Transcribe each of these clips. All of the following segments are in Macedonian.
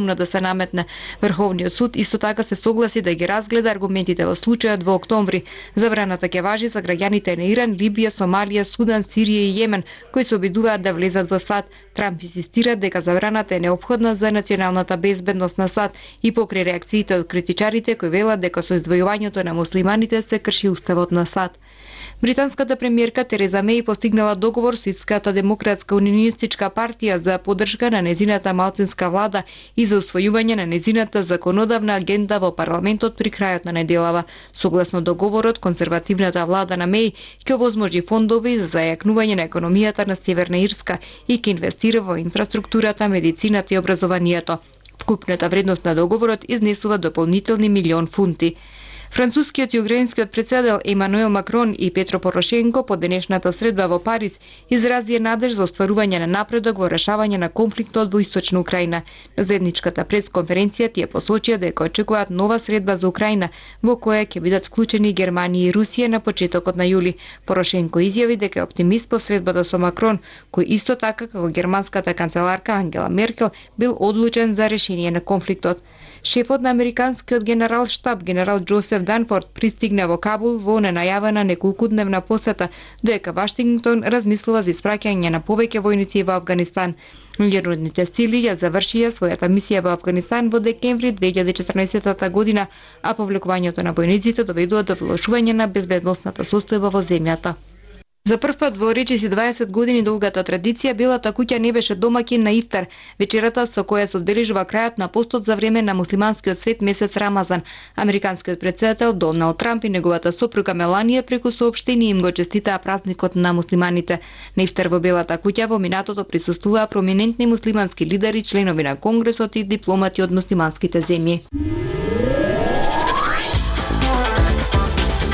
да се наметне. Врховниот суд исто така се согласи да ги разгледа аргументите во случајот во октомври. Забраната ќе важи за граѓаните на Иран, Либија, Сомалија, Судан, Сирија и Јемен, кои се обидуваат да влезат во САД. Трамп инсистира дека забраната е неопходна за националната безбедност на САД и покрај реакциите од критичарите кои велат дека со издвојувањето на муслиманите се крши уставот на САД. Британската премиерка Тереза Меј постигнала договор со Ирската демократска унионистичка партија за поддршка на незината малцинска влада и за усвојување на незината законодавна агенда во парламентот при крајот на неделава. Согласно договорот, конзервативната влада на Меј ќе овозможи фондови за зајакнување на економијата на Северна Ирска и ќе инвестира во инфраструктурата, медицината и образованието. Вкупната вредност на договорот изнесува дополнителни милион фунти. Францускиот и украинскиот претседател Емануел Макрон и Петро Порошенко по денешната средба во Париз изразија надеж за остварување на напредок во решавање на конфликтот во Источна Украина. На заедничката пресконференција тие посочија дека очекуваат нова средба за Украина во која ќе бидат вклучени Германија и Русија на почетокот на јули. Порошенко изјави дека е оптимист по средбата со Макрон, кој исто така како германската канцеларка Ангела Меркел бил одлучен за решение на конфликтот. Шефот на американскиот генерал штаб генерал Џозеф Данфорд пристигна во Кабул во ненајавена неколкудневна посета, додека Вашингтон размислува за испраќање на повеќе војници во Авганистан. Меѓународните сили ја завршија својата мисија во Авганистан во декември 2014 година, а повлекувањето на војниците доведува до влошување на безбедносната состојба во земјата. За прв пат во речиси 20 години долгата традиција Белата куќа не беше домаќин на ифтар, вечерата со која се одбележува крајот на постот за време на муслиманскиот свет месец Рамазан. Американскиот претседател Доналд Трамп и неговата сопруга Меланија преку соопштение им го честитаа празникот на муслиманите. На ифтар во Белата куќа во минатото присуствуваа проминентни муслимански лидери, членови на Конгресот и дипломати од муслиманските земји.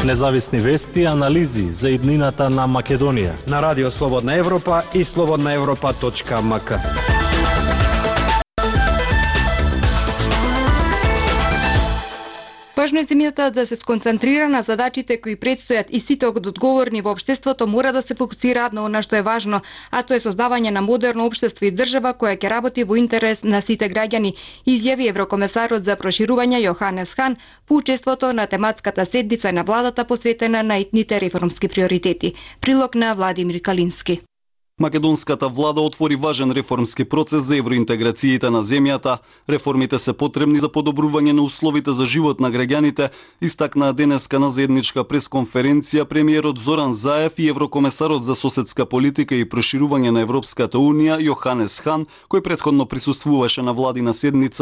Независни вести и анализи за иднината на Македонија на Радио Слободна Европа и slobodnaevropa.mk. Важно е земјата да се сконцентрира на задачите кои предстојат и сите одговорни во општеството мора да се фокусираат на она што е важно, а тоа е создавање на модерно општество и држава која ќе работи во интерес на сите граѓани, изјави еврокомесарот за проширување Јоханес Хан по учеството на тематската седница на владата посветена на итните реформски приоритети. Прилог на Владимир Калински. Македонската влада отвори важен реформски процес за евроинтеграциите на земјата. Реформите се потребни за подобрување на условите за живот на граѓаните, истакнаа денеска на заедничка пресконференција премиерот Зоран Заев и еврокомесарот за соседска политика и проширување на Европската унија Јоханес Хан, кој претходно присуствуваше на владина седница